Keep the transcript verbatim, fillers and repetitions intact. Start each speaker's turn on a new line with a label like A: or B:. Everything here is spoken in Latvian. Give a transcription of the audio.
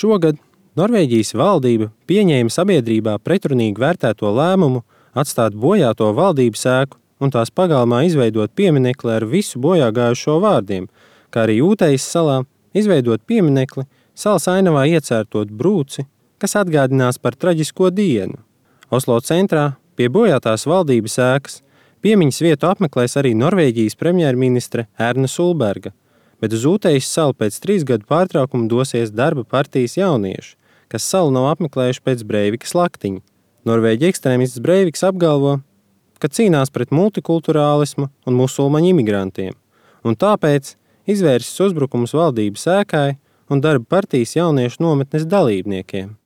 A: Šogad Norvēģijas valdība pieņēma sabiedrībā pretrunīgi vērtēto lēmumu atstāt bojāto valdības ēku un tās pagalmā izveidot pieminekli ar visu bojāgājušo vārdiem, kā arī Ūtejas salā izveidot pieminekli salas ainavā iecērtot brūci, kas atgādinās par traģisko dienu. Oslo centrā pie bojātās valdības ēkas piemiņas vietu apmeklēs arī Norvēģijas premjerministre Erna Solberga, bet uz Ūtejas salu pēc trīs gadu pārtraukuma dosies darba partijas jaunieši, kas salu nav apmeklējuši pēc Breivikas laktiņa. Norvēģi ekstrēmists Breiviks apgalvo, ka cīnās pret multikulturālismu un musulmaņu imigrantiem, un tāpēc izvērsis uzbrukumus valdības ēkai un darba partijas jauniešu nometnes dalībniekiem.